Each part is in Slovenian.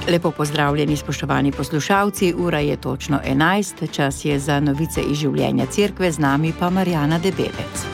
Lepo pozdravljeni, spoštovani poslušalci, ura je točno 11, čas je za novice iz življenja cerkve, z nami pa Marjana Debelec.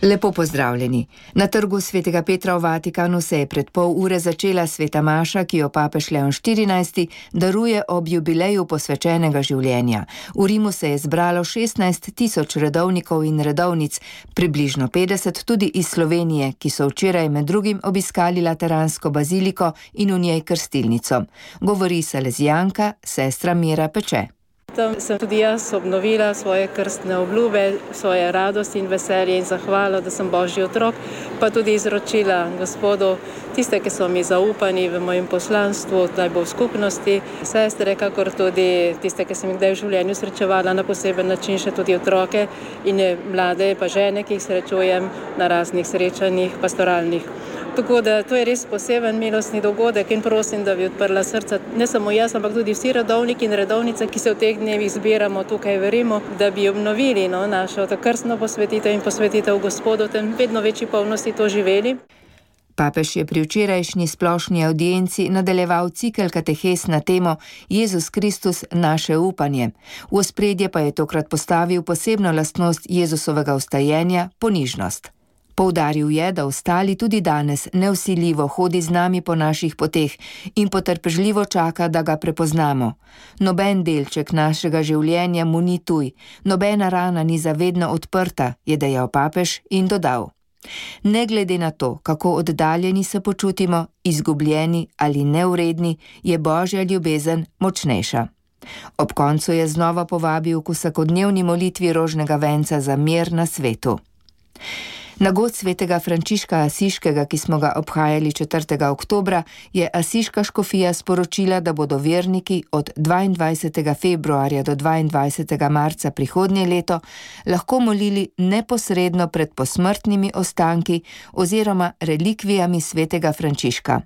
Lepo pozdravljeni. Na trgu svetega Petra v Vatikanu se je pred pol ure začela sveta maša, ki jo papež Leon XIV daruje ob jubileju posvečenega življenja. V Rimu se je zbralo 16 000 redovnikov in redovnic, približno 50 tudi iz Slovenije, ki so včeraj med drugim obiskali Lateransko baziliko in v njej krstilnico. Govori salezijanka, sestra Mira Peče. Tam sem tudi jaz obnovila svoje krstne obljube, svoje radosti in veselje in zahvalo, da sem Božji otrok, pa tudi izročila Gospodu tiste, ki so mi zaupani v mojem poslanstvu, da bo v skupnosti, sestre, kakor tudi tiste, ki sem jih kdaj v življenju srečevala na poseben način, še tudi otroke in mlade, pa žene, ki jih srečujem na raznih srečanjih pastoralnih. Tako da to je res poseben milostni dogodek in prosim, da bi odprla srca ne samo jaz, ampak tudi vsi redovniki in redovnice, ki se v teh dnevih zbiramo tukaj v Rimu, da bi obnovili našo krstno posvetitev in posvetitev Gospodu, tem vedno večji polnosti to živeli. Papež je pri včerajšnji splošni audienci nadaljeval cikel katehes na temo Jezus Kristus, naše upanje. V ospredje pa je tokrat postavil posebno lastnost Jezusovega vstajenja, ponižnost. Poudaril je, da ostali tudi danes nevsiljivo hodi z nami po naših poteh in potrpežljivo čaka, da ga prepoznamo. Noben delček našega življenja mu ni tuj, nobena rana ni zavedno odprta, je dejal papež in dodal. Ne glede na to, kako oddaljeni se počutimo, izgubljeni ali nevredni, je Božja ljubezen močnejša. Ob koncu je znova povabil k vsakodnevni molitvi rožnega venca za mir na svetu. Na god svetega Frančiška Asiškega, ki smo ga obhajali 4. oktobra, je Asiška škofija sporočila, da bodo verniki od 22. februarja do 22. marca prihodnje leto lahko molili neposredno pred posmrtnimi ostanki oziroma relikvijami svetega Frančiška.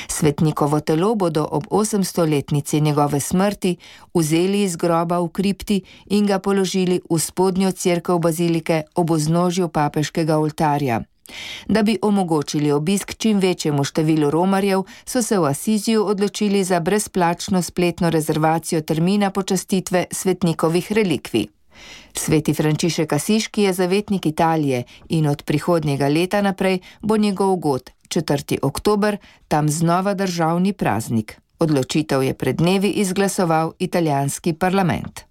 Svetnikovo telo bodo ob 800-letnici njegove smrti vzeli iz groba v kripti in ga položili v spodnjo cerkev bazilike ob vznožju papeškega oltarja. Da bi omogočili obisk čim večjemu številu romarjev, so se v Asiziju odločili za brezplačno spletno rezervacijo termina počastitve svetnikovih relikvij. Sveti Frančišek Asiški je zavetnik Italije in od prihodnjega leta naprej bo njegov god, 4. oktober, tam znova državni praznik. Odločitev je pred dnevi izglasoval italijanski parlament.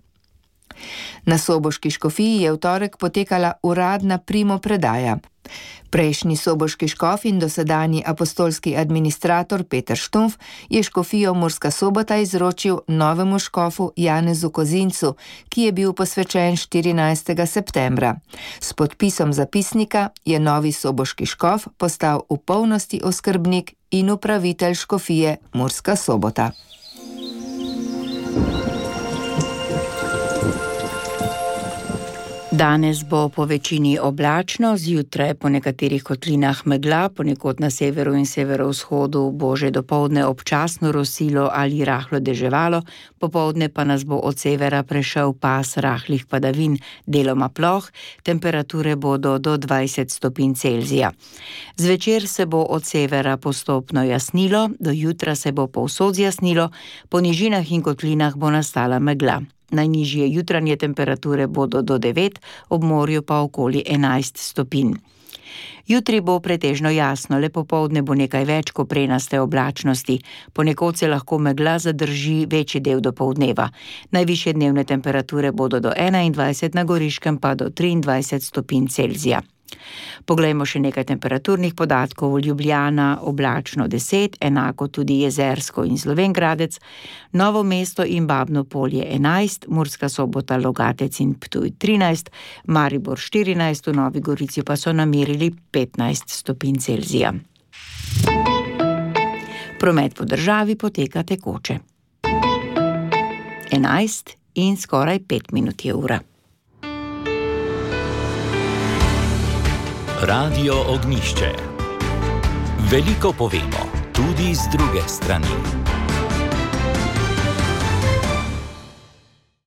Na soboški škofiji je v torek potekala uradna primopredaja. Prejšnji soboški škof in dosedanji apostolski administrator Peter Štumf je škofijo Murska Sobota izročil novemu škofu Janezu Kozincu, ki je bil posvečen 14. septembra. S podpisom zapisnika je novi soboški škof postal v polnosti oskrbnik in upravitelj škofije Murska Sobota. Danes bo po večini oblačno, zjutraj po nekaterih kotlinah megla, ponekod na severu in severovzhodu bo že dopoldne občasno rosilo ali rahlo deževalo, popoldne pa nas bo od severa prešel pas rahlih padavin, deloma ploh, temperature bodo do 20 stopinj Celzija. Zvečer se bo od severa postopno jasnilo, do jutra se bo povsod zjasnilo, po nižinah in kotlinah bo nastala megla. Najnižje jutranje temperature bodo do 9, ob morju pa okoli 11 stopinj. Jutri bo pretežno jasno, le popoldne bo nekaj več koprenaste oblačnosti. Ponekod se lahko megla zadrži večji del dopoldneva. Najvišje dnevne temperature bodo do 21, na Goriškem pa do 23 stopinj Celzija. Poglejmo še nekaj temperaturnih podatkov. Ljubljana oblačno 10, enako tudi Jezersko in Slovenj Gradec, Novo mesto in Babno Polje 11, Murska Sobota, Logatec in Ptuj 13, Maribor 14, v Novi Gorici pa so namerili 15 stopinj Celzija. Promet po državi poteka tekoče. 11 in skoraj 5 minut je ura. Radio Ognjišče. Veliko povemo, tudi z druge strani.